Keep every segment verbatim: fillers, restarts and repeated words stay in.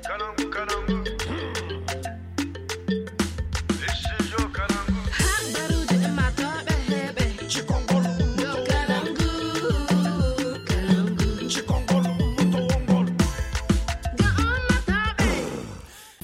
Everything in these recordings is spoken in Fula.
Habaruuji ɗin maa tooɓe heɓe. Yo Kalangu, Kalangu. Ga ummatooɓe.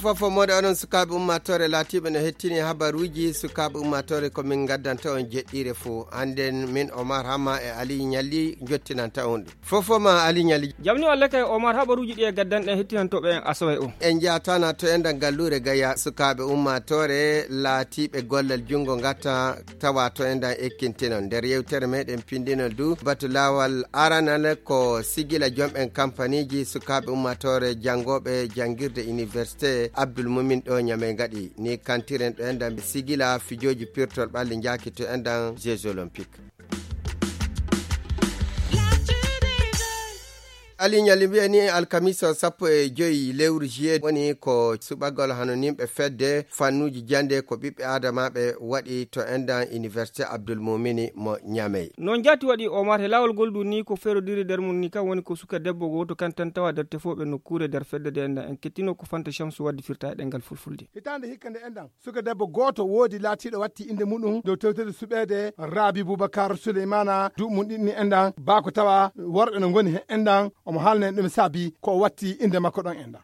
Fofo moɗo onon sukaaɓe ummaatoore laatiiɓe no hettini habaruuji sukaaɓe ummaatoore ko min ngaddanta on jeɗɗiire fof. Hannden min Omar Hama e Ali Ñalli njottinanta on ɗum. Fofo ma Ali Ñalli. Jamni walla kay Omar habaruuji ɗi e gaddanɗen hettinantooɓe en asowe o. En njaatana to enɗan galluure Gaya sukaaɓe ummaatoore laatiiɓe gollal junngo ngatta tawa to enɗan ekkintinon. Nder yewtere meɗen pinndinol du batu laawal aranal ko sigila jom'en kampaniiji sukaaɓe ummaatoore janngooɓe janngirde université Abdul Mumin ɗo Ñamey ngaɗi. Ni kantiren ɗo enɗan sigila fijooji pirtol ɓalli njaaki to enɗan Jeux Olympiques. Ali Ñalli mbiya ni alkamisa sappo e joyi lewru juillet woni ko suɓagol hano nimɓe fedde fannuuji jannde ko ɓiɓɓe aadamaaɓe waɗi to enɗan Université Abdul Mumini mo Ñamey. Noon jaati waɗi Omar he laawol ngol du ni ko ferodiri nder mum ni kam woni ko suka debbo gooto kan tan tawa nder tefooɓe nokkuure nder fedde nde enɗan en kettino ko Fanta Shamsu waddi firta e ɗemngal fulfulde. Hitaande hikka nde enɗan suka debbo gooto woodi laatiiɗo watti innde muɗum dow tewtede suɓeede Rabi Boubacar Souleymana duuɓi mum ɗiɗi ni enɗan baako tawa worɓe no ngoni he enɗan omo haalna en ɗum saabi ko watti innde makko ɗon enɗan.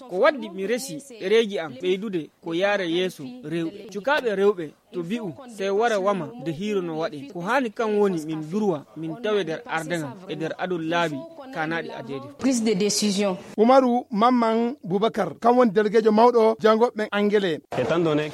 Ko waddi mi resi ɗereeji am ɓeydude ko yaare yeeso rewɓe. Cukaaɓe rewɓe to bi'u sey wara wama de hiiro no waɗe. Ko haani kan woni min durwa min tawe nder ardagam e nder adol laabi kaanaaɗi adeede. Prise de décision. Umaru Mamman Boubacar, kan woni delegeejo mawɗo janngooɓe ɓen Angele.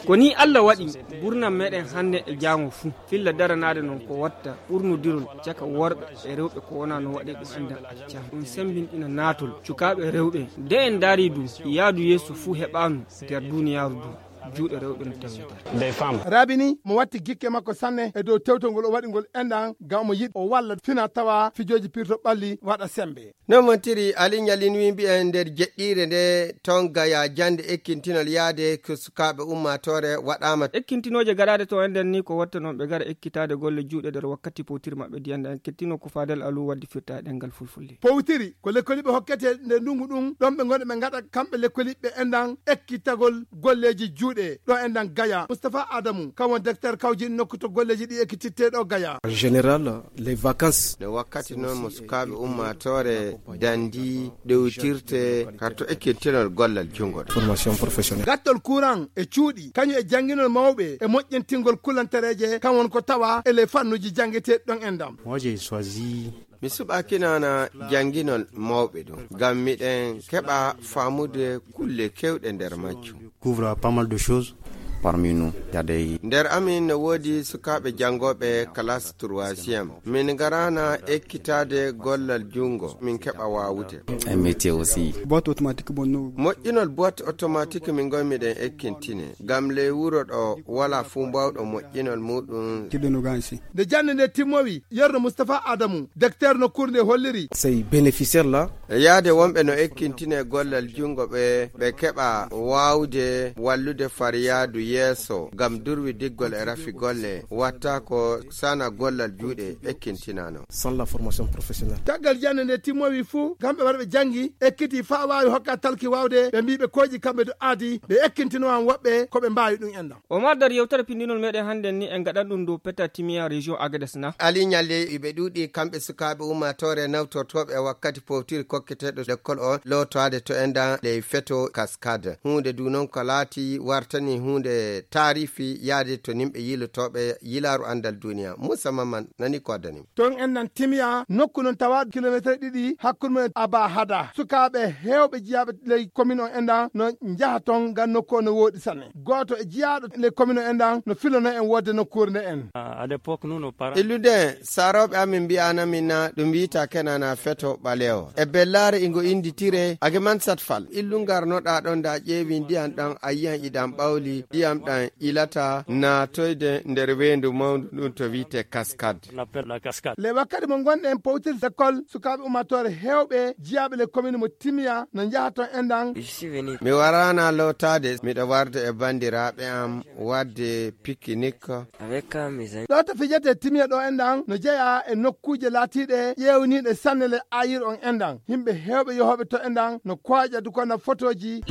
Ko ni Alla waɗi gurnam meɗen hannde e jaango fuu. Filla daranaade noon ko watta ɓurnodirol caka worɓe e rewɓe ko wonaa no waɗe ɗum enɗan accama. Ɗum semmbinɗina naatol cukaaɓe rewɓe. Nde en ndaari du yaadu yeeso fuu heɓaanu nder duuniyaaru du. Juuɗe rewɓe no tawi nder. Rabi ni mo watti gikke makko sanne e dow tewtol ngol o waɗi ngol enɗan ngam omo yiɗi o walla fina tawa fijooji pirto ɓalli waɗa semmbe. No montiri Ali Ñalli ni mbiya nder jeɗɗiire nde toon Gaya jannde ekkintinol yaade ko sukaaɓe ummaatoore waɗaama. Ekkintinooje gaɗaaɗe to enɗan ni ko watta noon ɓe gara ekkitaade golle juuɗe nder wakkati powtiri maɓɓe di enɗan en kettino ko Fadel Alu waddi firta e ɗemngal fulfulde. Powtiri ko lekkoliiɓe hokkete nde ndungu ɗum ɗon ɓe ngonɗo ɓe ngaɗa kamɓe lekkoliiɓe enɗan ekkitagol golleeji juuɗe ɗo enɗan Gaya. Moustapha Adamu kan woni directeur kawjin nokku to golleeji ɗi ekkititte ɗo Gaya. En général, les vacances. Nde wakkati noon mo sukaaɓe ummaatoore dandi ɗewtirte ka to ekkintinol gollal junngo ɗo. Formation professionnelle. Gattol kuran e cuuɗi kañum e jannginol mawɓe e moƴƴintingol kulantereeje kan woni ko tawa e les fannuuji janngeteeɗi ɗon enɗan. Moi, j'ai choisi. Mi suɓaaki nana jannginol mawɓe ɗum ngam miɗen keɓa faamude kulle kewɗe nder majjum. Couvre pas mal de choses. Parmi nous, il y a des. Nder amin no woodi sukaaɓe janngooɓe classe troisième. Min ngaraana ekkitaade gollal junngo min keɓa waawude. Un métier aussi. Boîte automatique bonno. Moƴƴinol boîte automatique min ngoy miɗen ekkintine ngam ley wuro ɗo wala fuu mbawɗo moƴƴinol muɗum. Kiɗɗo no gansi. Nde jannde nde timmowi, yerno Moustapha Adamu, docteur nokkuure nde holliri. Ces bénéficiaires là. E yaade wonɓe no ekkintine gollal junngo ɓe, ɓe keɓa waawde wallude fariyaadu yeeso ngam durwi diggol e rafi golle, watta ko sana gollal juuɗe ekkintinano. Sans la formation professionnelle. Caggal jannde nde timmowi fuu, kamɓe waɗa ɓe janngi, ekkiti faa waawi hokka talki waawde, ɓe mbii ɓe kooƴi kamɓe to aadi, ɓe ekkintinowaan woɓɓe ko ɓe mbaawi ɗum enɗam. Omar, nder yewtere pinndinol meɗen hannden ni, en ngaɗan ɗum dow Peta Timiya, région Agadez na? Ali Ñalli, iɓe ɗuuɗi kamɓe sukaaɓe ummaatoore nawtortooɓe e wakkati powtiri kokketeeɗo lekkol o lootaade to enɗan ley feto Cascade. Huunde du noon ko laati wartani huunde taarifi yaade to nimɓe yiilotooɓe yilaaru anndal duniya. Moussa Maman nani ko addani. Toon enɗan Timiya, nokku noon tawa kilomeeter ɗiɗi hakkunde mum e Aba Hada. Sukaaɓe heewɓe jiyaaɓe ley commune o enɗan no njaha toon ngam nokku o no wooɗi sanne. Gooto e jiyaaɗo ley commune o enɗan no filano en woodde nokkuure nde en. À l'époque, nous, nos parents. Illude en, saarooɓe amin mbi'aana min na ɗum wiyta kenana feto ɓaleewo. E bellaare ingo innditire Ageman Satfal. Illu ngarnoɗaa ɗon da ƴeewi ndiyan ɗan a yiyan iɗan ɓawli, ndiyam ɗan ilata naatoyde nder weendu mawndu ndun to wiyte Cascade. On appelle la cascade. Le wakkati mo ngonɗen powtirde lekkol, sukaaɓe ummaatoore heewɓe jiyaaɓe le commune mo Timiya no njaha toon enɗan. Je suis venu. Mi waraana lootaade, miɗo warde e banndiraaɓe am waɗde pikinik. Avec, euh, mes amis. Ɗo to fijete Timiya ɗo enɗan no jeyaa e nokkuuje laatiiɗe ƴeewniiɗe sanne le ayir on enɗan. Yimɓe heewɓe yohooɓe to e ndan no kooƴa du ko na fotooji.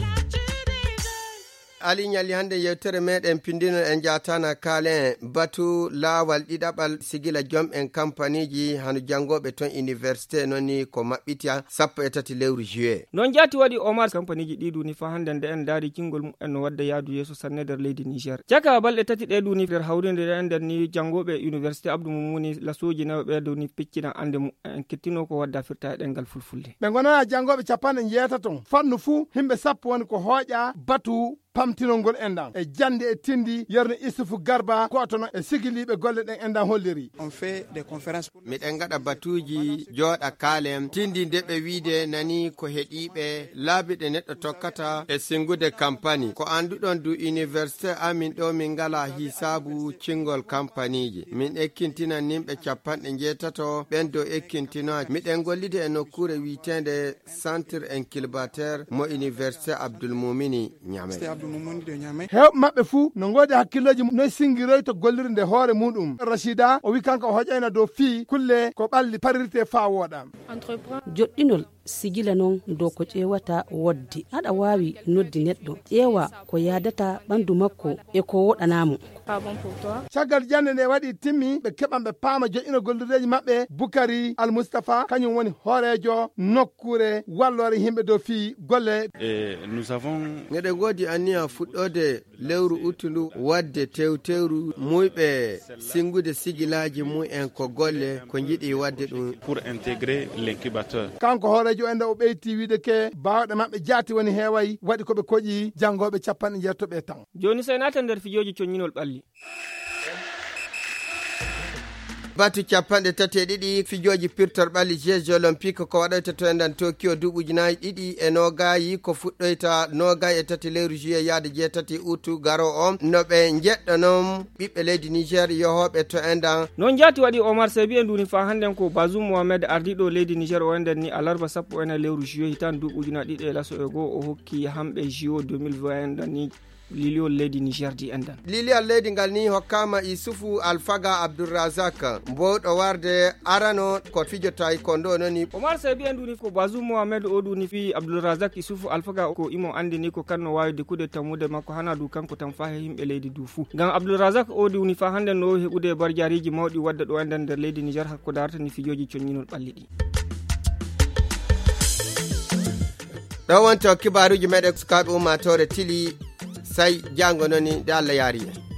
Ali Ñalli, hannde yewtere meɗen pindino en jaatana kaalen batu laawal ɗiɗaɓal sigila jom en kampaniji hano janngooɓe ton université non ni ko maɓɓitiya sappo e tati lewru juillet. Non jaati waɗi Omar kampaniji ɗi duni fa hannde nde en daari cingol mumen no wadda yaadu yeeso sanne nder leydi Niger. Caka balɗe tati ɗe duni nder hawrinde ɗe en nder ni janngooɓe université Abdou Moumouni lasooji nayo ɓe duni peccina annde mumen kettino ko wadda firta e ɗemngal fulfulde. Ɓe ngonana janngooɓe capanɗe njeetato fannu fuu himɓe sappo woni ko hooƴa batu pamtinol ngol enɗan e jannde e tindi yerno Issoufou Garba ko otono e sigiliiɓe golle ɗen enɗan holliri. On fait des conférences pour miɗen ngaɗa batuuji jooɗa kaalen tindi nde ɓe wiide nani ko heɗiiɓe laabi ɗe neɗɗo tokkata e singude kampani ko annduɗon du université amin ɗo min ngala hisaabu cingol kampaniiji min ekkintinan nimɓe capanɗe njeetato ɓen dow ekkintinooji miɗen gollide e nokkuure wiiteende centre incubateur mo université Abdoul Moumini Niamey. Heewɓe maɓɓe fuu no ngoodi hakkillooji noy singiroyto gollirde hoore muɗum. Rachida o wi kanko o hoƴayna dow fii kulle ko ɓalli parirte faa wooɗa. Joɗɗinol sigila non dow ko ƴeewata wodde. Aɗa waawi noddi neɗɗo, ƴeewa ko yaadata ɓandu makko e ko woɗanaa mo. Caggal jannde nde waɗi timmi, ɓe keɓan ɓe paama joƴƴino gollireeji maɓɓe. Bukari Al Mustafa, kañum woni hooreejo nokkuure walloore yimɓe dow fii golle. E, nous avons Ngeɗe ngoodi anniya fuɗɗoode lewru uttu ndu waɗde tewtewru muyɓe singude sigilaaji mumen ko golle ko njiɗi waɗde ɗum. Pour intégrer l'incubateur. Kanko hooreejo en nde o ɓeyti wiide ke baawɗe maɓɓe jaati woni heeway waɗi ko ɓe koƴi janngooɓe capanɗe njeetato ɓe tan. Jooni sey naaten nder fijooji coññinol ɓalli. Batu capanɗe tati e ɗiɗi fijooji pirtor ɓalli Jeux Olympiques ko waɗoyta to enɗan Tokyo duuɓi ujunaaji ɗiɗi e noogayi ko fuɗɗoyta noogayi e tati lewru juillet yaade jeetati utu garo o no ɓe njeɗɗo noon ɓiɓɓe leydi Niger yohooɓe to enɗan. Noon jaati waɗi Omar Sebi e nduuni faa hannden ko Bazoum Mohamed ardiiɗo leydi Niger o enɗan ni alarba sappo e nayi lewru juillet hitaan duuɓi ujunaaji ɗiɗi e laso e goo o hokki hamɓe J O deux mille vingt enɗan ni. Liliyol leydi Niger di enɗan. Liliyol leydi ngal ni hokkaama Isufu Alfaga Abdulrazak, mbowɗo warde arano ko fijo taekwondo noni. Omar Sebi en duni ko Bazoum Mohamed o duni fi Abdulrazak Isufu Alfaga ko imo andini ko kanno waawi dikude tammude makko hana du kanko tan fa he yimɓe leydi du fuu. Ngam Abdulrazak o duni fa hannde no heɓude barjaariji mawɗi wadde ɗo enɗan nder leydi Niger hakko darata ni fijoji coññinol ɓalli ɗi. Ɗo wonto kibaaruuji meɗen sukaaɓe ummaatoore tili say janngo noni nde Allah yaari en.